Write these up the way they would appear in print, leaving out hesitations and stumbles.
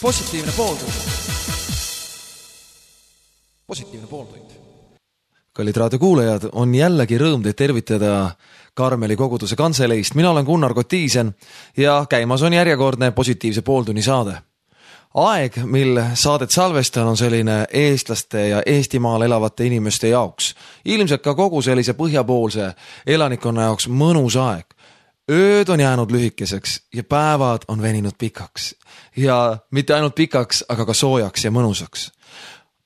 Positiivne pooltund. Positiivne pooltund. Kallid raadiokuulajad, on jällegi rõõm teid tervitada Karmeli koguduse kantseleist. Mina olen Gunnar Kotiisen ja käimas on järjekordne Positiivse pooltunni saade. Aeg, mil saadet salvestan, on selline eestlaste ja Eestimaal elavate inimeste jaoks. Ilmselt ka kogu sellise põhjapoolse elanikkonna jaoks mõnus aeg. Ööd on jäänud lühikeseks ja päevad on veninud pikaks. Ja mitte ainult pikaks, aga ka soojaks ja mõnusaks.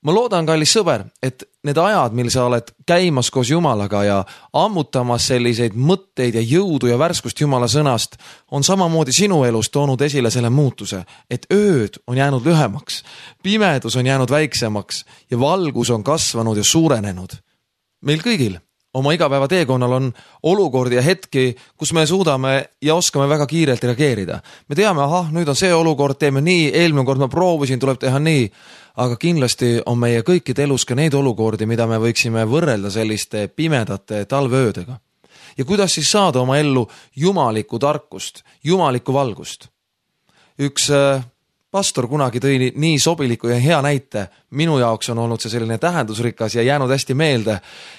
Ma loodan, kallis sõber, et need ajad, mil sa oled käimas koos Jumalaga ja ammutamas selliseid mõtteid ja jõudu ja värskust Jumala sõnast, on samamoodi sinu elus toonud esile selle muutuse, et ööd on jäänud lühemaks, pimedus on jäänud väiksemaks ja valgus on kasvanud ja suurenenud. Meil kõigil oma igapäeva teekonnal on olukordi ja hetki, kus me suudame ja oskame väga kiirelt reageerida. Me teame, nüüd on see olukord, teeme nii, eelmine kord ma proovisin, tuleb teha nii, aga kindlasti on meie kõikide elus ka neid olukordi, mida me võiksime võrrelda selliste pimedate talveöödega. Ja kuidas siis saada oma ellu jumalikku tarkust, jumalikku valgust? Üks pastor kunagi tõi nii sobiliku ja hea näite, minu jaoks on olnud see selline tähendusrikas ja jäänud hästi meelde.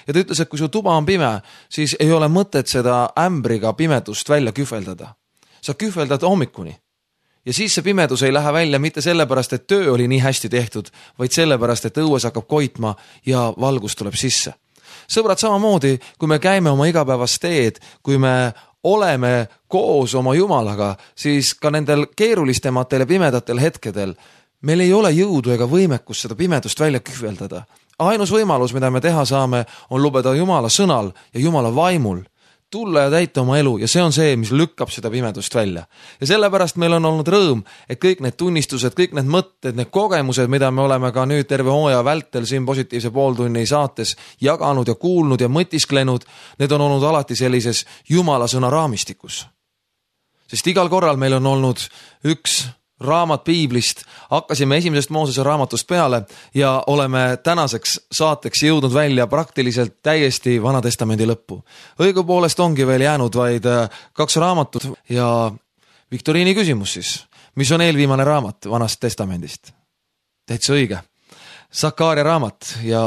Ja ta ütles, et kui su tuba on pime, siis ei ole mõtet seda ämbriga pimedust välja kühveldada. Sa kühveldad hommikuni. Ja siis see pimedus ei lähe välja mitte sellepärast, et töö oli nii hästi tehtud, vaid sellepärast, et õues hakkab koitma ja valgus tuleb sisse. Sõbrad, samamoodi, kui me käime oma igapäevast teed, kui me oleme koos oma Jumalaga, siis ka nendel keerulistematel ja pimedatel hetkedel meil ei ole jõudu ega võimekust seda pimedust välja kühveldada. Ainus võimalus, mida me teha saame, on lubada Jumala sõnal ja Jumala vaimul tulla ja täita oma elu ja see on see, mis lükkab seda pimedust välja. Ja sellepärast meil on olnud rõõm, et kõik need tunnistused, kõik need mõtted, need kogemused, mida me oleme ka nüüd terve hooaja vältel siin Positiivse pooltunni saates jaganud ja kuulnud ja mõtisklenud, need on olnud alati sellises Jumala sõna raamistikus. Sest igal korral meil on olnud üks raamat piiblist, hakkasime esimesest Moosese raamatust peale ja oleme tänaseks saateks jõudnud välja praktiliselt täiesti Vana Testamendi lõppu. Õigupoolest ongi veel jäänud vaid 2 raamatut ja Viktoriini küsimus siis, mis on eelviimane raamat Vanast Testamendist? Täitsa õige. Sakaaria raamat ja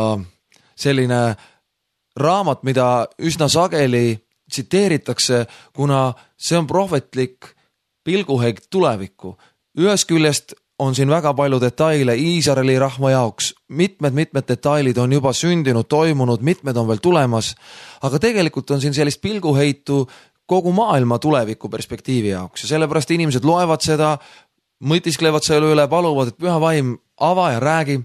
selline raamat, mida üsna sageli tsiteeritakse, kuna see on prohvetlik pilguheik tulevikku. Ühest küljest on siin väga palju detaile Iisraeli rahva jaoks, mitmed detailid on juba sündinud, toimunud, mitmed on veel tulemas, aga tegelikult on siin sellist pilguheitu kogu maailma tuleviku perspektiivi jaoks ja sellepärast inimesed loevad seda, mõtisklevad selle üle, paluvad, et püha vaim ava ja räägi.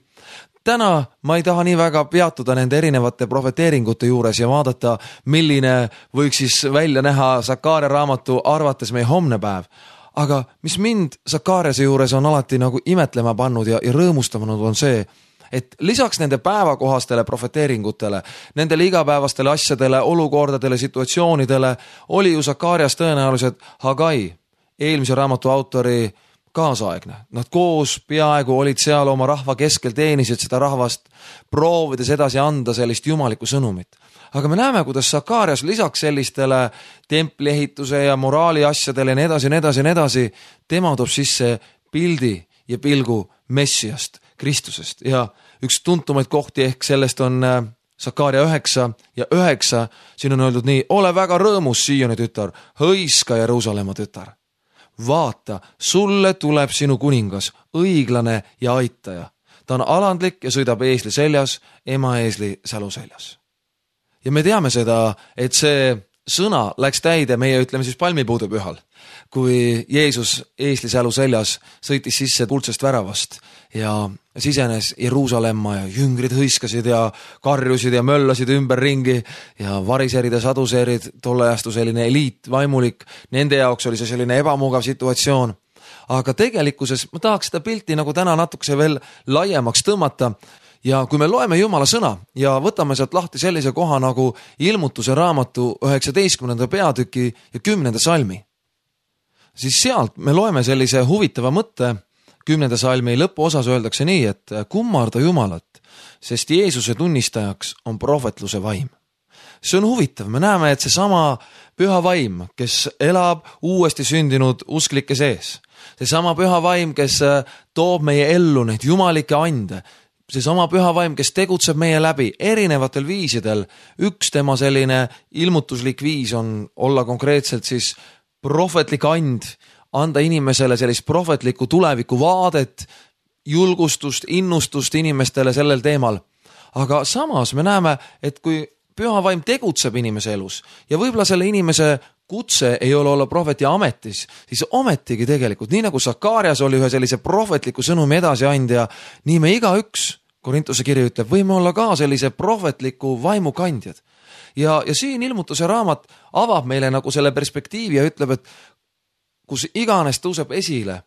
Täna ma ei taha nii väga peatuda nende erinevate profeteeringute juures ja vaadata, milline võiks siis välja näha Sakaaria raamatu arvates meie homne päev. Aga mis mind Sakaariase juures on alati nagu imetlema pannud ja rõõmustanud on see, et lisaks nende päevakohastele profeteeringutele, nendele igapäevastele asjadele, olukordadele, situatsioonidele oli ju Sakaarias tõenäoliselt Hagai, eelmise raamatu autori kaasaegne. Nad koos peaaegu olid seal oma rahva keskel, teenisid seda rahvast, proovides edasi anda sellist jumalikku sõnumit. Aga me näeme, kuidas Sakaarias lisaks sellistele templiehituse ja moraali asjadele ja nii edasi, tema toob sisse pildi ja pilgu Messiast, Kristusest. Ja üks tuntumaid kohti ehk sellest on Sakaaria 9 ja 9, siin on öeldud nii, ole väga rõõmus, Sioni tütar, hõiska Jeruusalemma tütar. Vaata, sulle tuleb sinu kuningas, õiglane ja aitaja. Ta on alandlik ja sõidab eesli seljas, ema eesli sälu seljas. Ja me teame seda, et see sõna läks täide meie, ütleme siis palmipuude pühal, kui Jeesus eesli sälu seljas sõitis sisse kuldsest väravast ja sisenes Jeruusalemma ja jüngrid hõiskasid ja karjusid ja möllasid ümber ringi ja variserid ja saduseerid, tolle ajastu selline eliit, vaimulik, nende jaoks oli see selline ebamugav situatsioon. Aga tegelikkuses ma tahaks seda pilti nagu täna natukese veel laiemaks tõmmata. Ja kui me loeme Jumala sõna ja võtame sealt lahti sellise koha nagu Ilmutuse raamatu 19. peatüki ja 10. salmi, siis sealt me loeme sellise huvitava mõtte. 10. salmi lõpuosas öeldakse nii, et kummarda Jumalat, sest Jeesuse tunnistajaks on prohvetluse vaim. See on huvitav, me näeme, et see sama püha vaim, kes elab uuesti sündinud usklike sees, See sama püha vaim, kes toob meie ellu neid jumalikke ande. See sama püha vaim, kes tegutseb meie läbi erinevatel viisidel. Üks tema selline ilmutuslik viis on olla konkreetselt siis prohvetlik and, anda inimesele sellist prohvetlikku tuleviku vaadet, julgustust, innustust inimestele sellel teemal. Aga samas me näeme, et kui püha vaim tegutseb inimese elus ja võib-olla selle inimese kutse ei ole olla prohveti ametis, siis ometigi tegelikult, nii nagu Sakarias oli ühe sellise prohvetliku sõnumi edasiandja, nii me igaüks, Korintuse kiri ütleb, võime olla ka sellise prohvetliku vaimukandjad. Ja siin ilmutuse raamat avab meile nagu selle perspektiivi ja ütleb, et kus iganes tõuseb esile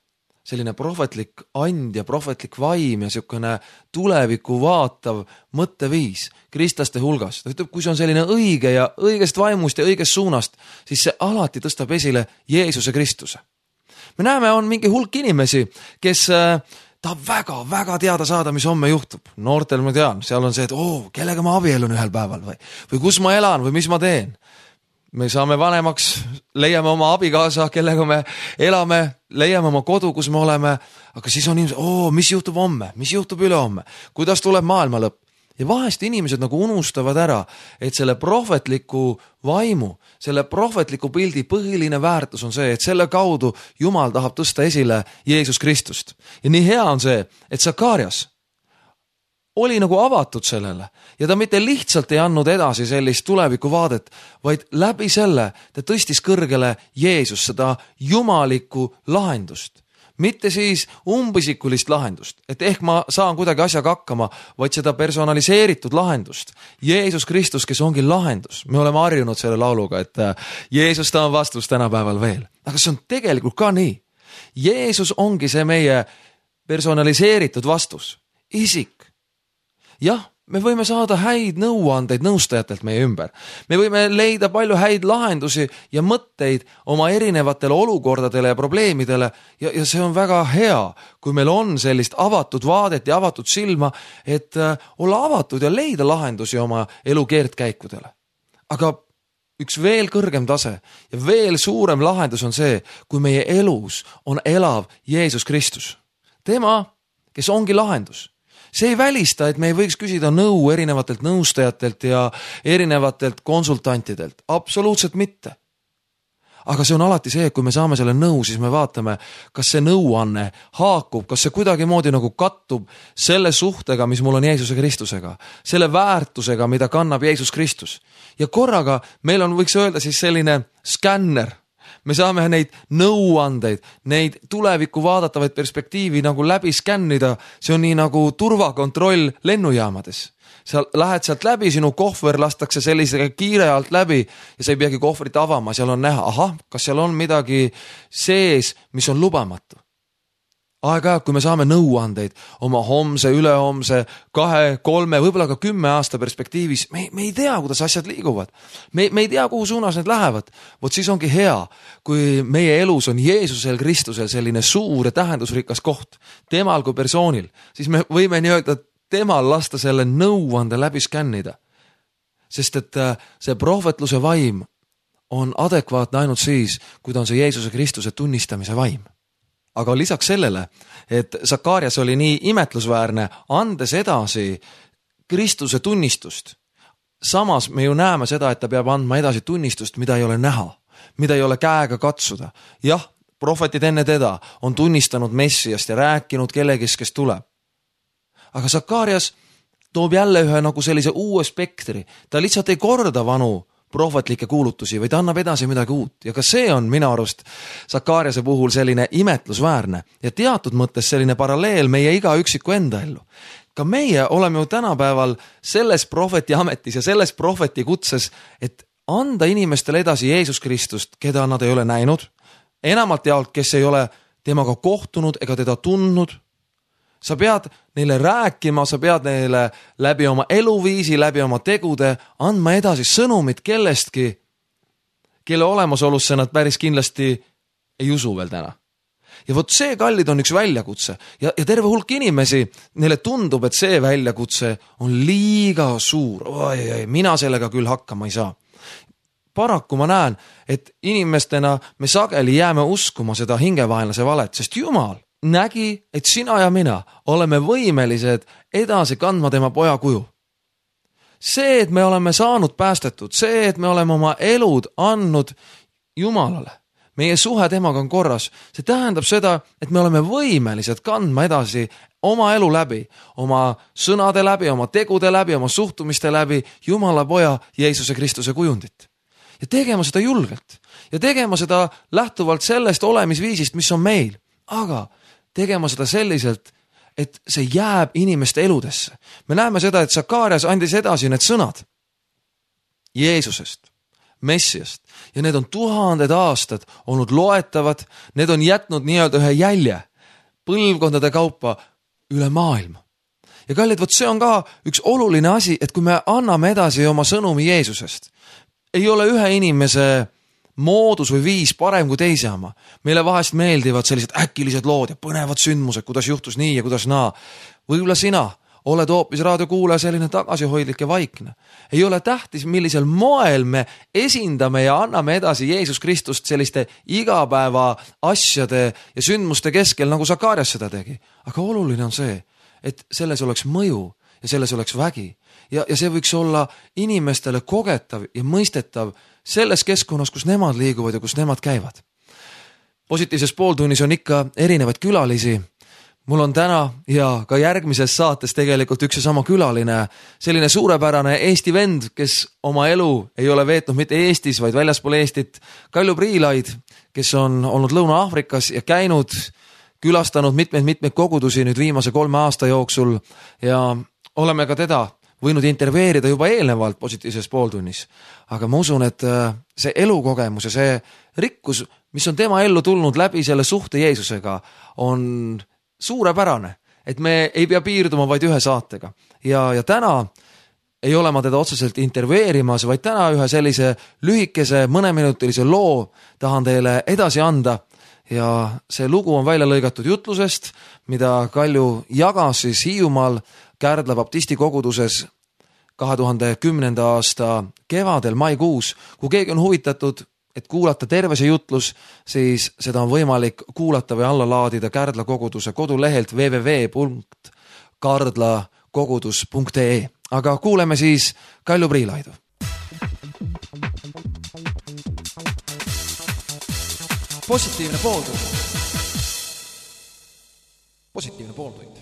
selline prohvetlik and ja prohvetlik vaim ja selline tuleviku vaatav mõtteviis kristlaste hulgas. Ta ütleb, kui see on selline õige ja õigest vaimust ja õigest suunast, siis see alati tõstab esile Jeesuse Kristuse. Me näeme, on mingi hulk inimesi, kes tahab väga teada saada, mis homme juhtub. Noortel ma tean, seal on see, et kellega ma abielun ühel päeval või kus ma elan või mis ma teen. Me saame vanemaks, leiame oma abikaasa, kellega me elame, leiame oma kodu, kus me oleme, aga siis on inimesed, mis juhtub homme, mis juhtub ülehomme, kuidas tuleb maailma lõpp. Ja vahest inimesed nagu unustavad ära, et selle prohvetliku vaimu, selle prohvetliku pildi põhiline väärtus on see, et selle kaudu Jumal tahab tõsta esile Jeesus Kristust. Ja nii hea on see, et Sakarias oli nagu avatud sellele ja ta mitte lihtsalt ei andnud edasi sellist tuleviku vaadet, vaid läbi selle ta tõstis kõrgele Jeesus, seda jumalikku lahendust. Mitte siis umbisikulist lahendust, et ehk ma saan kuidagi asjaga hakkama, vaid seda personaliseeritud lahendust. Jeesus Kristus, kes ongi lahendus. Me oleme harjunud selle lauluga, et Jeesus ta on vastus tänapäeval veel. Aga see on tegelikult ka nii. Jeesus ongi see meie personaliseeritud vastus. Isik. Jah, me võime saada häid nõuandeid nõustajatelt meie ümber. Me võime leida palju häid lahendusi ja mõtteid oma erinevatele olukordadele ja probleemidele ja see on väga hea, kui meil on sellist avatud vaadet ja avatud silma, et olla avatud ja leida lahendusi oma elu keerdkäikudele. Aga üks veel kõrgem tase ja veel suurem lahendus on see, kui meie elus on elav Jeesus Kristus. Tema, kes ongi lahendus. See ei välista, et me ei võiks küsida nõu erinevatelt nõustajatelt ja erinevatelt konsultantidelt. Absoluutselt mitte. Aga see on alati see, et kui me saame selle nõu, siis me vaatame, kas see nõuanne haakub, kas see kuidagi moodi nagu kattub selle suhtega, mis mul on Jeesuse Kristusega, selle väärtusega, mida kannab Jeesus Kristus. Ja korraga meil on, võiks öelda siis selline skänner. Me saame neid nõuandeid, neid tulevikku vaadatavaid perspektiivi nagu läbi skännida. See on nii nagu turvakontroll lennujaamades. Sa lähed sealt läbi, sinu kohver lastakse sellise kiire alt läbi ja sa ei peagi kohvrit avama. Seal on näha, kas seal on midagi sees, mis on lubamatu. Aeg-ajalt, kui me saame nõuandeid oma homse, ülehomse, 2, 3, võib-olla ka 10 aasta perspektiivis, me ei tea, kuidas asjad liiguvad. Me ei tea, kuhu suunas need lähevad. Vot siis ongi hea, kui meie elus on Jeesusel Kristusel selline suur ja tähendusrikas koht, temal kui persoonil, siis me võime nii öelda, temal lasta selle nõuande läbi skännida. Sest et see prohvetluse vaim on adekvaatne ainult siis, kui ta on see Jeesuse Kristuse tunnistamise vaim. Aga lisaks sellele, et Sakarias oli nii imetlusväärne, andes edasi Kristuse tunnistust. Samas me ju näeme seda, et ta peab andma edasi tunnistust, mida ei ole näha, mida ei ole käega katsuda. Jah, prohvetid enne teda on tunnistanud Messiast ja rääkinud kellegist, kes tuleb. Aga Sakarias toob jälle ühe nagu sellise uue spektri. Ta lihtsalt ei korda vanu prohvetlikke kuulutusi, vaid annab edasi midagi uut. Ja ka see on minu arust Sakariase puhul selline imetlusväärne ja teatud mõttes selline paralleel meie iga üksiku enda ellu. Ka meie oleme ju tänapäeval selles prohveti ametis ja selles prohveti kutses, et anda inimestele edasi Jeesus Kristust, keda nad ei ole näinud, enamalt jaolt, kes ei ole temaga kohtunud ega teda tundnud. Sa pead neile rääkima, sa pead neile läbi oma eluviisi, läbi oma tegude andma edasi sõnumit kellestki, kelle olemasolusse nad päris kindlasti ei usu veel täna. Ja vot see, kallid, on üks väljakutse ja terve hulk inimesi, neile tundub, et see väljakutse on liiga suur. Mina sellega küll hakkama ei saa. paraku ma näen, et inimestena me sageli jääme uskuma seda hingevaenlase valet, sest Jumal nägi, et sina ja mina oleme võimelised edasi kandma tema poja kuju. See, et me oleme saanud päästetud, see, et me oleme oma elud andnud Jumalale, meie suhe temaga on korras, see tähendab seda, et me oleme võimelised kandma edasi oma elu läbi, oma sõnade läbi, oma tegude läbi, oma suhtumiste läbi Jumala poja Jeesuse Kristuse kujundit. Ja tegema seda julgelt ja tegema seda lähtuvalt sellest olemisviisist, mis on meil, aga tegema seda selliselt, et see jääb inimeste eludesse. Me näeme seda, et Sakarias andis edasi need sõnad Jeesusest, Messiast ja need on 1000 aastad olnud loetavad, need on jätnud nii-öelda ühe jälje põlvkondade kaupa üle maailma. Ja kallid, vot see on ka üks oluline asi, et kui me anname edasi oma sõnumi Jeesusest, ei ole ühe inimese moodus või viis parem kui teise oma. Meile vahest meeldivad sellised äkilised lood ja põnevad sündmused, kuidas juhtus nii ja kuidas naa. Võib-olla sina oled hoopis raadiokuulaja selline tagasihoidlik ja vaikne. Ei ole tähtis, millisel moel me esindame ja anname edasi Jeesus Kristust selliste igapäeva asjade ja sündmuste keskel, nagu Sakarias seda tegi. Aga oluline on see, et selles oleks mõju ja selles oleks vägi. Ja see võiks olla inimestele kogetav ja mõistetav selles keskkonnas, kus nemad liiguvad ja kus nemad käivad. Positiivses pooltunnis on ikka erinevaid külalisi. Mul on täna ja ka järgmises saates tegelikult üks ja sama külaline, selline suurepärane Eesti vend, kes oma elu ei ole veetnud mitte Eestis, vaid väljaspool Eestit. Kalju Priilaid, kes on olnud Lõuna-Aafrikas ja käinud, külastanud mitmeid kogudusi nüüd viimase 3 aasta jooksul ja oleme ka teda võinud intervjueerida juba eelnevalt positiivses pooltunnis. Aga ma usun, et see elukogemus ja see rikkus, mis on tema ellu tulnud läbi selle suhte Jeesusega, on suurepärane, et me ei pea piirduma vaid ühe saatega. Ja täna ei ole ma teda otseselt intervjueerimas, vaid täna ühe sellise lühikese mõneminutilise loo tahan teile edasi anda. Ja see lugu on välja lõigatud jutlusest, mida Kalju jagas siis Hiiumaal Kärdla baptisti koguduses 2010. aasta kevadel, maikuus. Kui keegi on huvitatud, et kuulata terve see jutlus, siis seda on võimalik kuulata või alla laadida Kärdla koguduse kodulehelt www.kardlakogudus.ee. Aga kuuleme siis Kalju Priilaidu. Positiivne pooltund. Positiivne pooltund.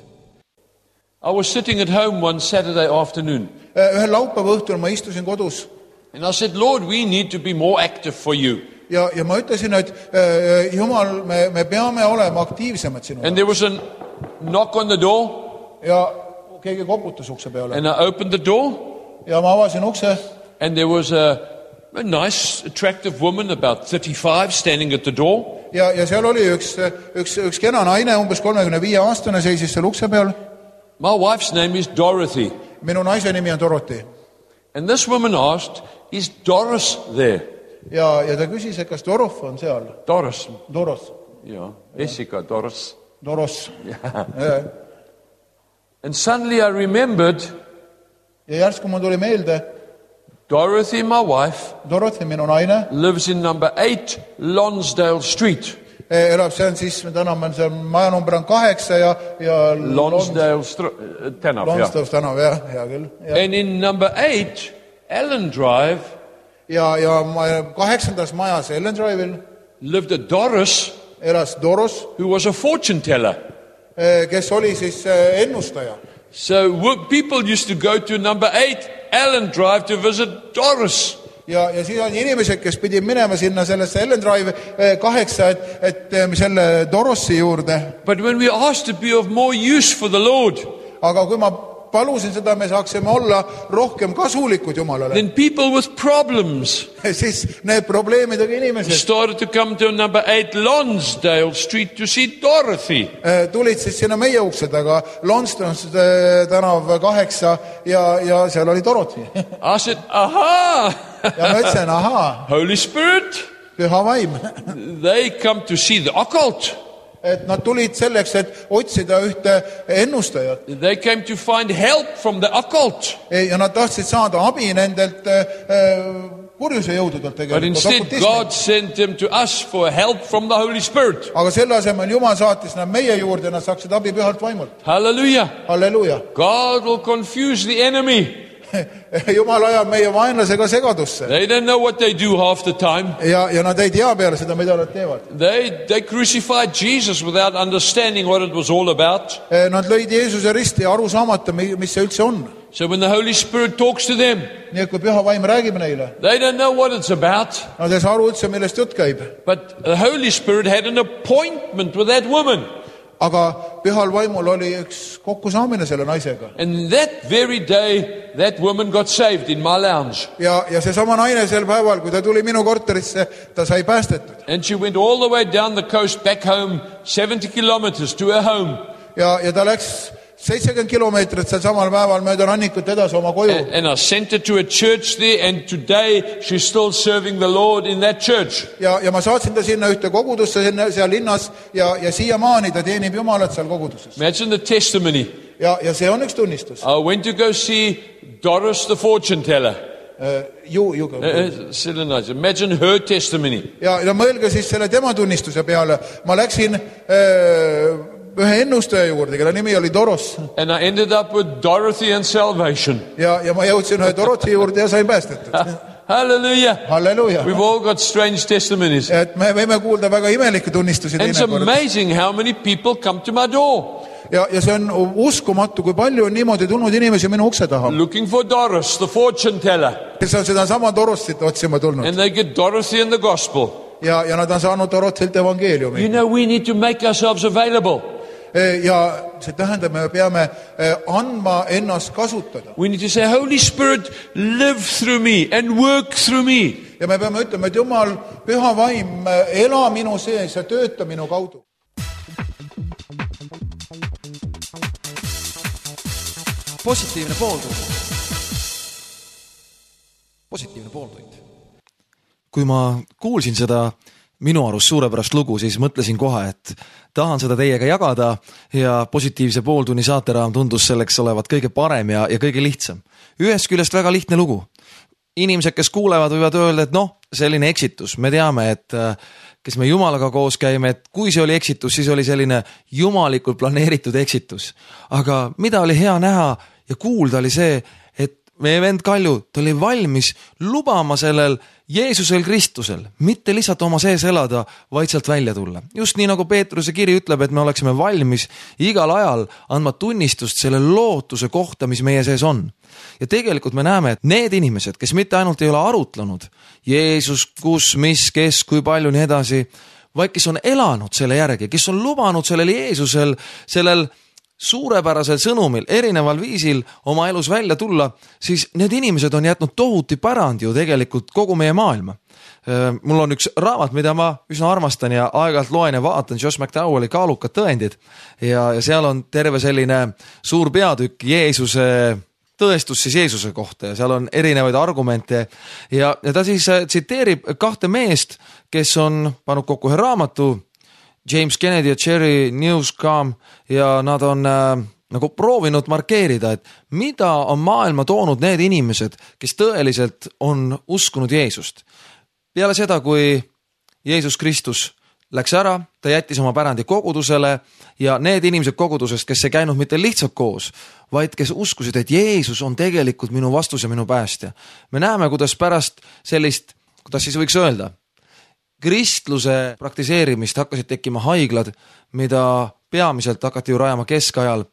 I was sitting at home one Saturday afternoon. Ühel laupäeva õhtul ma istusin kodus. And I said, Lord, we need to be more active for you. Ja ma ütlesin, et Jumal, me peame olema aktiivsemad sinu. And there was a knock on the door. Ja keegi koputas ukse peale. And I opened the door. Ja ma avasin ukse. And there was a nice, attractive woman, about 35, standing at the door. Ja seal oli üks kena naine, umbes 35 aastane, seisis seal ukse peal. My wife's name is Dorothy. Minu naise nimi on Dorothy. And this woman asked, is Doris there? Ja ta küsis, et kas Dorof on seal? Doris. Doros. Ja, Jessica, Doris. Doros. Yeah. And suddenly I remembered. Ja järsku mul tuli meelde. Dorothy, my wife. Dorothy, minu naine. Lives in number 8 Lonsdale Street. Elab seal siis, tänav on seal, maja number on 8 ja Lonsdale tänav, Lonsdale tänav, jah, hea küll. And in number 8, Ellen Drive. Ja 8. majas Ellen Drive'il lived a Doris. Elas Doros. Who was a fortune teller. Kes oli siis ennustaja. So people used to go to number 8 Ellen Drive to visit Doris. Ja siis on inimesed, kes pidid minema sinna sellesse Ellen Drive 8, et selle Dorossi juurde. But when we asked to be of more use for the Lord. Aga kui ma palusin seda, me saaksime olla rohkem kasulikud Jumalale. Then people with problems. Siis need probleemidega inimesed. Started to come to number 8 Lonsdale Street to see Dorothy. Tulid siis sinna meie ukse taga, Lonsdale tänav 8 ja seal oli Dorothy. I said, aha! Ja ma ütlesin, aha. Holy Spirit. Püha vaim. They come to see the occult. Et nad tulid selleks, et otsida ühte ennustajat. They came to find help from the occult. Ja nad tahtsid saada abi nendelt kurjuse jõududelt But tegelikult. instead, God sent them to us for help from the Holy Spirit. Aga selle asemel Jumal saatis nad meie juurde, nad saaksid abi pühalt vaimult. Hallelujah. Halleluuja. God will confuse the enemy. Jumal ajab meie vaenlasega segadusse. They don't know what they do half the time. Ja nad ei tea peale seda, mida nad teevad. They crucified Jesus without understanding what it was all about. Nad lõid Jeesuse risti aru saamata, mis see üldse on. So when the Holy Spirit talks to them, Nii et kui püha vaim räägib neile, they don't know what it's about. nad ei saa aru üldse, millest jutt käib. But the Holy Spirit had an appointment with that woman. Aga pühal vaimul oli üks kokkusaamine selle naisega. And that very day, that woman got saved in my lounge. Ja seesama naine sel päeval, kui ta tuli minu korterisse, ta sai päästetud. And she went all the way down the coast back home, 70 kilometers to her home. Ja ta läks 70 kilomeetrit seal samal päeval mööda rannikut edasi oma koju. And I sent her to a church there, and today she's still serving the Lord in that church. Ja ma saatsin ta sinna ühte kogudusse seal linnas ja siiamaani ta teenib Jumalat seal koguduses. Imagine the testimony. Ja see on üks tunnistus. I went to go see Doris the fortune teller. Nice. Imagine her testimony. Ja mõelge siis selle tema tunnistuse peale. Ma läksin ühe ennustaja juurde, kelle nimi oli Doros. And I ended up with Dorothy and salvation. Ja ma jõudsin ühe Dorothy juurde ja sain päästetud. Hallelujah. Halleluja. We've all got strange testimonies. Et me võime kuulda väga imelikke tunnistusi. And it's amazing how many people come to my door. Ja see on uskumatu, kui palju on niimoodi tulnud inimesi minu ukse taha. Looking for Doris, the fortune teller. Kes on seda sama Dorossit otsima tulnud. And they get Dorothy and the gospel. Ja nad on saanud Dorothilt evangeeliumi. You know, we need to make ourselves available. Ja see tähendab, me peame andma ennast kasutada. We need to say, Holy Spirit, live through me and work through me. Ja me peame ütlema, et Jumal, püha vaim, ela minu sees ja tööta minu kaudu. Positiivne pooltund. Positiivne pooltund. Kui ma kuulsin seda minu arust suurepärast lugu, siis mõtlesin kohe, et tahan seda teiega jagada ja positiivse pooltunni saateraam tundus selleks olevat kõige parem ja kõige lihtsam. Ühest küljest väga lihtne lugu. Inimesed, kes kuulevad, võivad öelda, et selline eksitus. Me teame, et kes me Jumalaga koos käime, et kui see oli eksitus, siis oli selline jumalikult planeeritud eksitus. Aga mida oli hea näha ja kuulda oli see, et meie vend Kalju, ta oli valmis lubama sellel Jeesusel Kristusel, mitte lihtsalt oma sees elada, vaid sealt välja tulla. Just nii nagu Peetruse kiri ütleb, et me oleksime valmis igal ajal andma tunnistust selle lootuse kohta, mis meie sees on. Ja tegelikult me näeme, et need inimesed, kes mitte ainult ei ole arutlenud Jeesus, kus, mis, kes, kui palju nii edasi, vaid kes on elanud selle järgi, kes on lubanud sellel Jeesusel, sellel suurepärasel sõnumil, erineval viisil oma elus välja tulla, siis need inimesed on jätnud tohuti pärand ju tegelikult kogu meie maailma. Mul on üks raamat, mida ma üsna armastan ja aeg-ajalt loen ja vaatan, Josh McDowelli Kaalukad tõendid ja seal on terve selline suur peatükk Jeesuse tõestus siis Jeesuse kohta ja seal on erinevaid argumente ja ta siis tsiteerib kahte meest, kes on pannud kokku ühe raamatu, James Kennedy ja Jerry Newscomb ja nad on nagu proovinud markeerida, et mida on maailma toonud need inimesed, kes tõeliselt on uskunud Jeesust. Peale seda, kui Jeesus Kristus läks ära, ta jättis oma pärandi kogudusele ja need inimesed kogudusest, kes ei käinud mitte lihtsalt koos, vaid kes uskusid, et Jeesus on tegelikult minu vastus ja minu päästja. Me näeme, kuidas pärast sellist, kuidas siis võiks öelda, kristluse praktiseerimist hakkasid tekkima haiglad, mida peamiselt hakati ju rajama keskajal,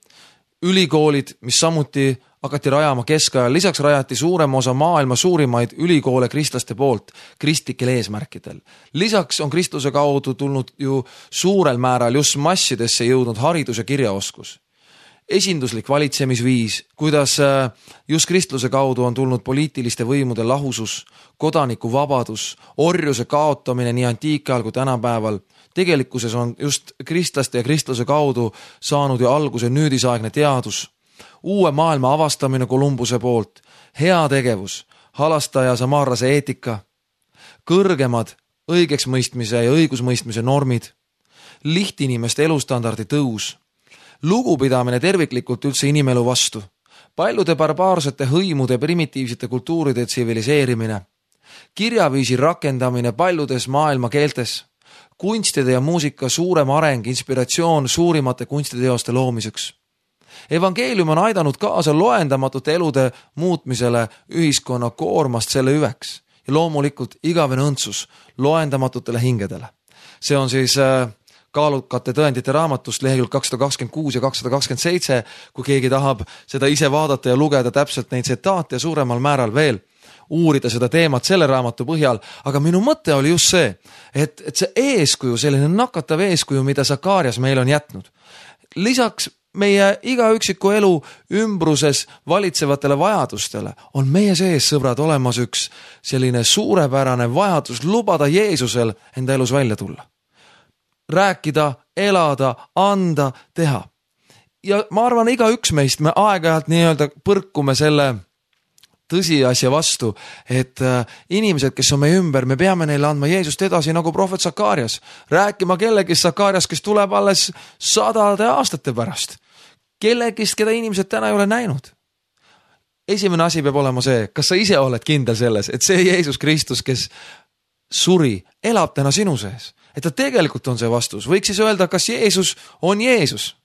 ülikoolid, mis samuti hakati rajama keskajal, lisaks rajati suurem osa maailma suurimaid ülikoole kristlaste poolt kristlikel eesmärkidel. Lisaks on kristluse kaudu tulnud ju suurel määral just massidesse jõudnud haridus ja kirjaoskus. Esinduslik valitsemisviis, kuidas just kristluse kaudu on tulnud poliitiliste võimude lahusus, kodanikuvabadus, orjuse kaotamine nii antiikajal kui tänapäeval. Tegelikkuses on just kristlaste ja kristluse kaudu saanud ju alguse nüüdisaegne teadus, uue maailma avastamine Kolumbuse poolt, heategevus, halastaja samaarlase eetika, kõrgemad õigeksmõistmise ja õigusmõistmise normid, lihtinimeste elustandardi tõus, lugupidamine terviklikult üldse inimelu vastu, paljude barbaarsete hõimude primitiivsete kultuuride tsiviliseerimine, kirjaviisi rakendamine paljudes maailma keeltes, kunstide ja muusika suurem areng, inspiratsioon suurimate kunstiteoste loomiseks. Evangeelium on aidanud kaasa loendamatute elude muutmisele ühiskonna koormast selle hüveks ja loomulikult igavene õndsus loendamatutele hingedele. See on siis kaalukate tõendite raamatust lehekülg 226 ja 227, kui keegi tahab seda ise vaadata ja lugeda täpselt neid tsitaate ja suuremal määral veel uurida seda teemat selle raamatu põhjal, aga minu mõte oli just see, et see eeskuju, selline nakatav eeskuju, mida Sakarias meil on jätnud. Lisaks meie iga üksiku elu ümbruses valitsevatele vajadustele on meie sees, sõbrad, olemas üks selline suurepärane vajadus lubada Jeesusel enda elus välja tulla. Rääkida, elada, anda, teha. Ja ma arvan, iga üks meist me aeg-ajalt nii-öelda põrkume selle tõsiasja vastu, et inimesed, kes on meie ümber, me peame neile andma Jeesust edasi nagu prohvet Sakarias. Rääkima kellegist Sakarias, kes tuleb alles 100 aastate pärast. Kellegist, keda inimesed täna ei ole näinud. Esimene asi peab olema see, kas sa ise oled kindel selles, et see Jeesus Kristus, kes suri, elab täna sinu sees. Et ta tegelikult on see vastus. Võiks siis öelda, kas Jeesus on Jeesus.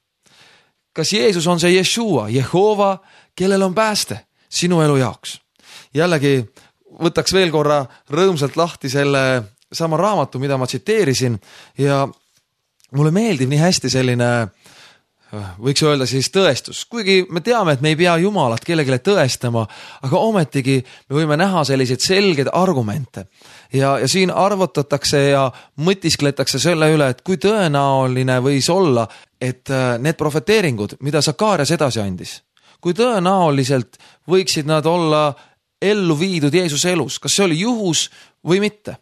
Kas Jeesus on see Jeshua, Jehova, kellel on pääste sinu elu jaoks. Jällegi võtaks veel korra rõõmsalt lahti selle sama raamatu, mida ma tsiteerisin ja mulle meeldib nii hästi selline, võiks öelda siis tõestus. Kuigi me teame, et me ei pea Jumalat kellegile tõestama, aga ometigi me võime näha selliseid selgeid argumente. Ja siin arvutatakse ja mõtiskletakse selle üle, et kui tõenäoline võis olla, et need profeteeringud, mida Sakarias edasi andis, kui tõenäoliselt võiksid nad olla ellu viidud Jeesuse elus, kas see oli juhus või mitte.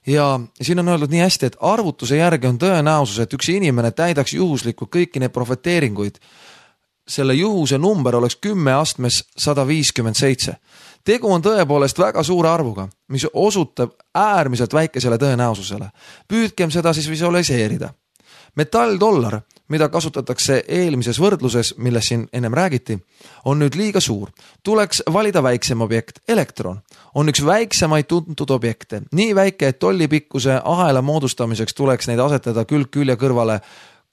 Ja siin on öeldud nii hästi, et arvutuse järgi on tõenäosus, et üks inimene täidaks juhuslikult kõiki need profeteeringuid. Selle juhuse number oleks 10 astmes 157. Tegu on tõepoolest väga suure arvuga, mis osutab äärmiselt väikesele tõenäosusele. Püüdkem seda siis visualiseerida. Metall-dollar, mida kasutatakse eelmises võrdluses, millest siin ennem räägiti, on nüüd liiga suur. Tuleks valida väiksem objekt, elektron. On üks väiksemaid tuntud objekte. Nii väike, et tollipikkuse ahela moodustamiseks tuleks neid asetada külg külje kõrvale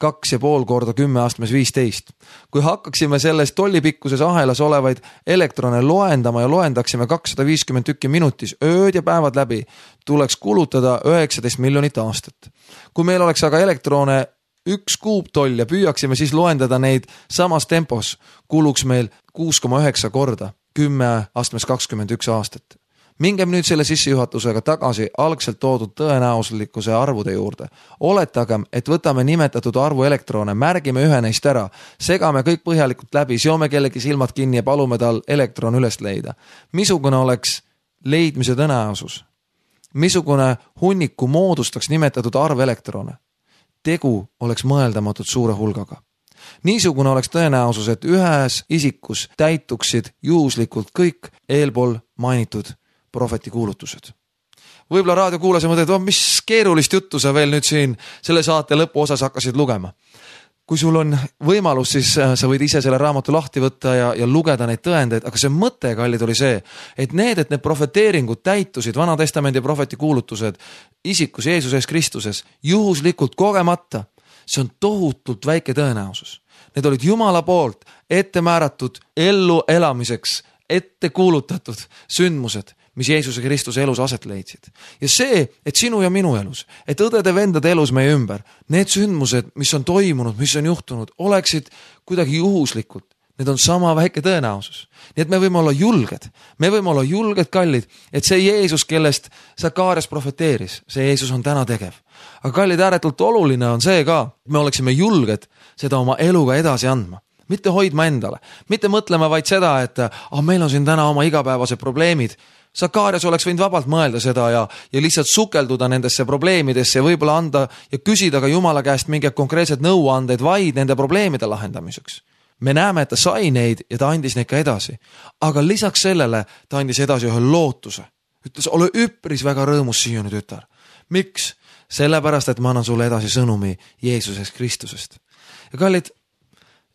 2,5 korda 10 astmes 15. Kui hakkaksime selles tollipikkuses ahelas olevaid elektrone loendama ja loendaksime 250 tükki minutis, ööd ja päevad läbi, tuleks kulutada 19 miljonit aastat. Kui meil oleks aga elektrone 1 kuuptoll ja püüaksime siis loendada neid samas tempos, kuluks meil 6,9 korda 10 astmes 21 aastat. Mingem nüüd selle sissejuhatusega tagasi algselt toodud tõenäosuslikkuse arvude juurde. Oletagem, et võtame nimetatud arvu elektrone, märgime ühe neist ära, segame kõik põhjalikult läbi, seome kellegi silmad kinni ja palume tal elektron üles leida. Missugune oleks leidmise tõenäosus? Missugune hunniku moodustaks nimetatud arv elektrone? Tegu oleks mõeldamatult suure hulgaga. Niisugune oleks tõenäosus, et ühes isikus täituksid juhuslikult kõik eelpool mainitud prohveti kuulutused. Võib-olla raadiokuulaja mõtled, mis keerulist juttu sa veel nüüd siin selle saate lõpu osas hakkasid lugema. Kui sul on võimalus, siis sa võid ise selle raamatu lahti võtta ja lugeda neid tõendeid, aga see mõte, kallid, oli see, et need profeteeringud täitusid, Vana Testamendi prohveti kuulutused isikus Jeesuses Kristuses juhuslikult kogemata, see on tohutult väike tõenäosus. Need olid Jumala poolt ette määratud ellu elamiseks, ette kuulutatud sündmused, mis Jeesuse Kristuse elus aset leidsid. Ja see, et sinu ja minu elus, et õdede-vendade elus meie ümber, need sündmused, mis on toimunud, mis on juhtunud, oleksid kuidagi juhuslikult. Need on sama väike tõenäosus. Nii et me võime olla julged. Me võime olla julged, kallid, et see Jeesus, kellest Sakarias profeteeris, see Jeesus on täna tegev. Aga kallid, ääretult oluline on see ka, et me oleksime julged seda oma eluga edasi andma. Mitte hoidma endale. Mitte mõtlema vaid seda, et meil on siin täna oma igapäevased probleemid. Sakarias oleks võinud vabalt mõelda seda ja lihtsalt sukelduda nendesse probleemidesse ja võib-olla anda ja küsida ka Jumala käest mingeid konkreetseid nõuandeid vaid nende probleemide lahendamiseks. Me näeme, et ta sai neid ja ta andis neid ka edasi. Aga lisaks sellele ta andis edasi ühe lootuse. Ütles, ole üpris väga rõõmus siiani, tütar. Miks? Sellepärast, et ma annan sulle edasi sõnumi Jeesusest Kristusest. Ja kallid,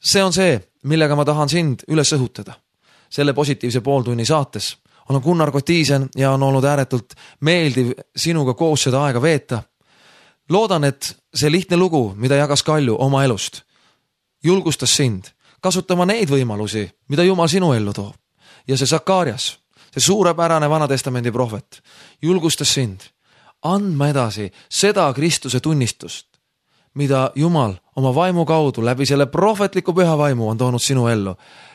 see on see, millega ma tahan sind üles õhutada. Selle positiivse pooltunni saates olen Gunnar Kotiisen ja on olnud ääretult meeldiv sinuga koos seda aega veeta. Loodan, et see lihtne lugu, mida jagas Kalju oma elust, julgustas sind kasutama neid võimalusi, mida Jumal sinu ellu toob. Ja see Sakarias, see suurepärane Vanatestamendi prohvet, julgustas sind andma edasi seda Kristuse tunnistust, mida Jumal oma vaimu kaudu läbi selle prohvetliku püha vaimu on toonud sinu ellu,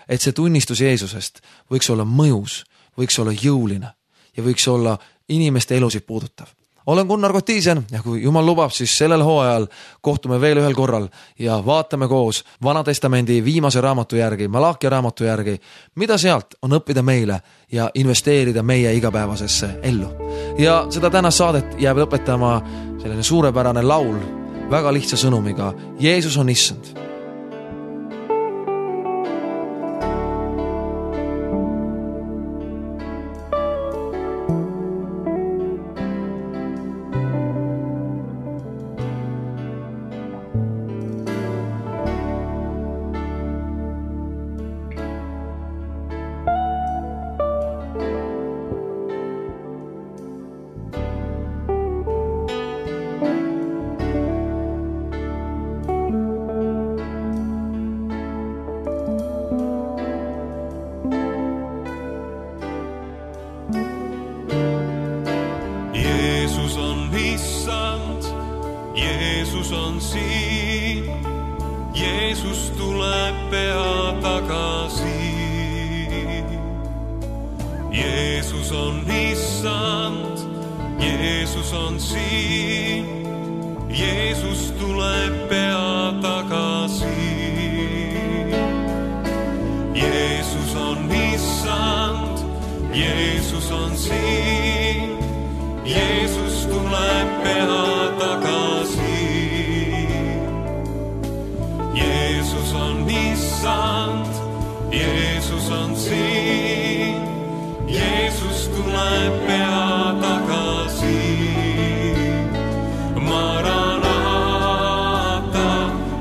et see tunnistus Jeesusest võiks olla mõjus, võiks olla jõuline ja võiks olla inimeste elusid puudutav. Olen Gunnar Kotiisen ja kui Jumal lubab, siis sellel hooajal kohtume veel ühel korral ja vaatame koos Vanatestamendi viimase raamatu järgi, Malakia raamatu järgi, mida sealt on õppida meile ja investeerida meie igapäevasesse ellu. Ja seda tänast saadet jääb lõpetama selline suurepärane laul väga lihtsa sõnumiga. Jeesus on issand. Jeesus on siin, Jeesus tuleb pea tagasi. Jeesus on issand, Jeesus on siin, Jeesus tuleb pea tagasi. Jeesus on issand, Jeesus on siin, Jeesus tuleb pea tagasi. Jeesus on issand, Jeesus on siin, Jeesus tuleb pea tagasi. Maranata,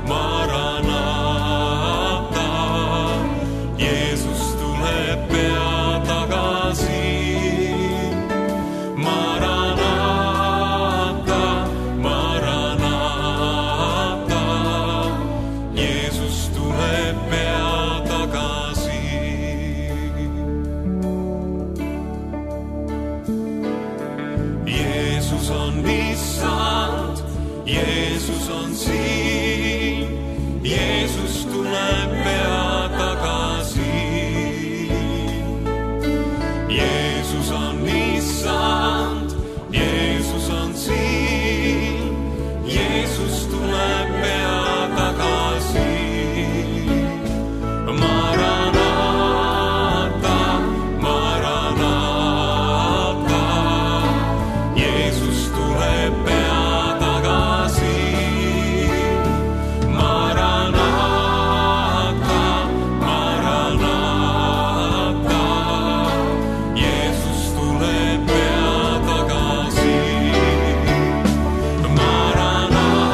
Maranata, Jeesus tuleb pea tagasi. Maranata, Maranata, Jeesus tuleb pea tagasi. Jeesus on issand, Jeesus on siin, Jeesus tuleb pea tagasi. Jeesus on issand, Jeesus on siin, Jeesus tuleb pea tagasi. Maranata, Maranata, Jeesus tuleb pea tagasi. Maranata, Maranata, Jeesus tuleb pea tagasi. Maranata,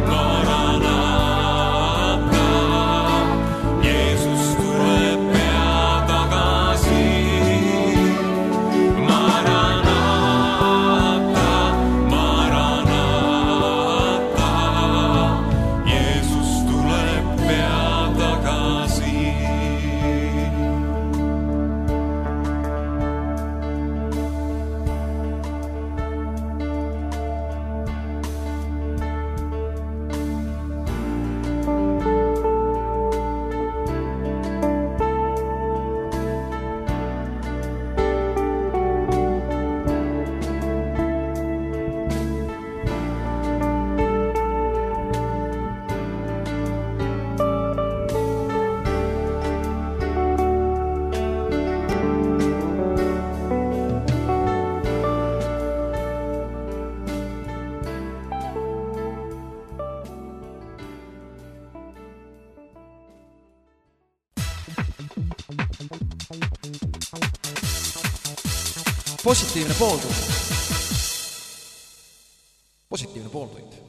Maranata, Jeesus tuleb pea tagasi. Maranata, Maranata, Jeesus tuleb pea tagasi. Positiivne pooltund. Positiivne pooltund.